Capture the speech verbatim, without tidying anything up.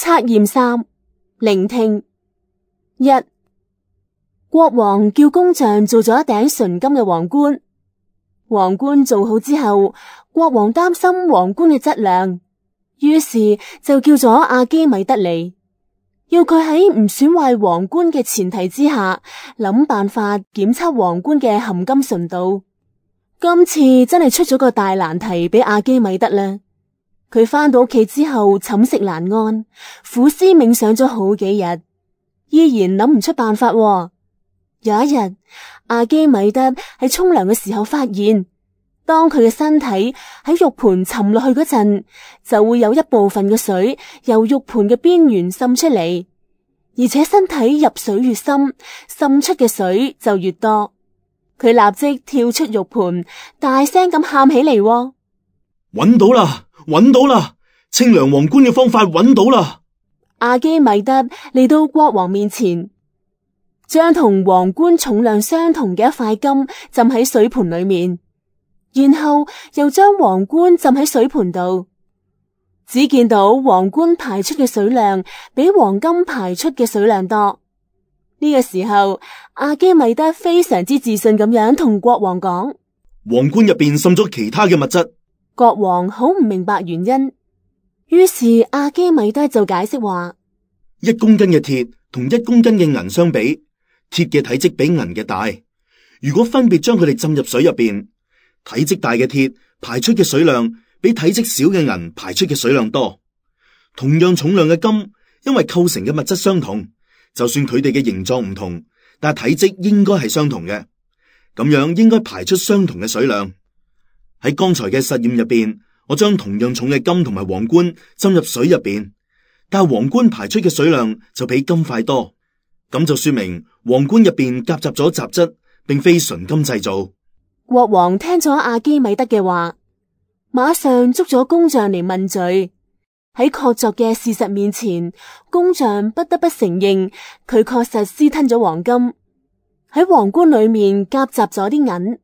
測驗三，聆聽。一、國王叫工匠做咗一頂純金嘅皇冠。皇冠做好之後，國王擔心皇冠嘅質量，於是就叫咗阿基米德嚟，要佢喺唔損壞皇冠嘅前提之下，諗辦法檢測皇冠嘅含金純度。今次真係出咗個大難題俾阿基米德啦。佢返到屋企之後寢食難安，苦思冥想咗好幾日，依然諗唔出辦法喎。有一日，阿基米德喺沖涼嘅時候發現，當佢嘅身體喺浴盆沉落去嗰陣，就會有一部分嘅水由浴盆嘅邊緣滲出嚟，而且身體入水越深，滲出嘅水就越多。佢立即跳出浴盆，大聲咁喊起嚟喎。揾到啦，揾到啦！清涼皇冠嘅方法揾到啦！阿基米德嚟到國王面前，將同皇冠重量相同嘅一塊金浸喺水盆裏面，然後又將皇冠浸喺水盆度。只見到皇冠排出嘅水量比黃金排出嘅水量多。呢個時候，阿基米德非常之自信咁樣同國王講：皇冠入邊滲咗其他嘅物質。國王好唔明白原因，於是阿基米德就解釋話：一公斤嘅鐵同一公斤嘅銀相比，鐵嘅體積比銀嘅大。如果分別將佢哋浸入水入邊，體積大嘅鐵排出嘅水量比體積小嘅銀排出嘅水量多。同樣重量嘅金，因為構成嘅物質相同，就算佢哋嘅形狀唔同，但係體積應該係相同嘅，咁樣應該排出相同嘅水量。喺剛才嘅實驗入邊，我將同樣重嘅金同埋皇冠浸入水入邊，但係皇冠排出嘅水量就比金塊多，咁就說明皇冠入邊夾雜咗雜質，並非純金製造。國王聽咗阿基米德嘅話，馬上捉咗工匠嚟問罪。喺確鑿嘅事實面前，工匠不得不承認佢確實私吞咗黃金，喺皇冠裏面夾雜咗啲銀。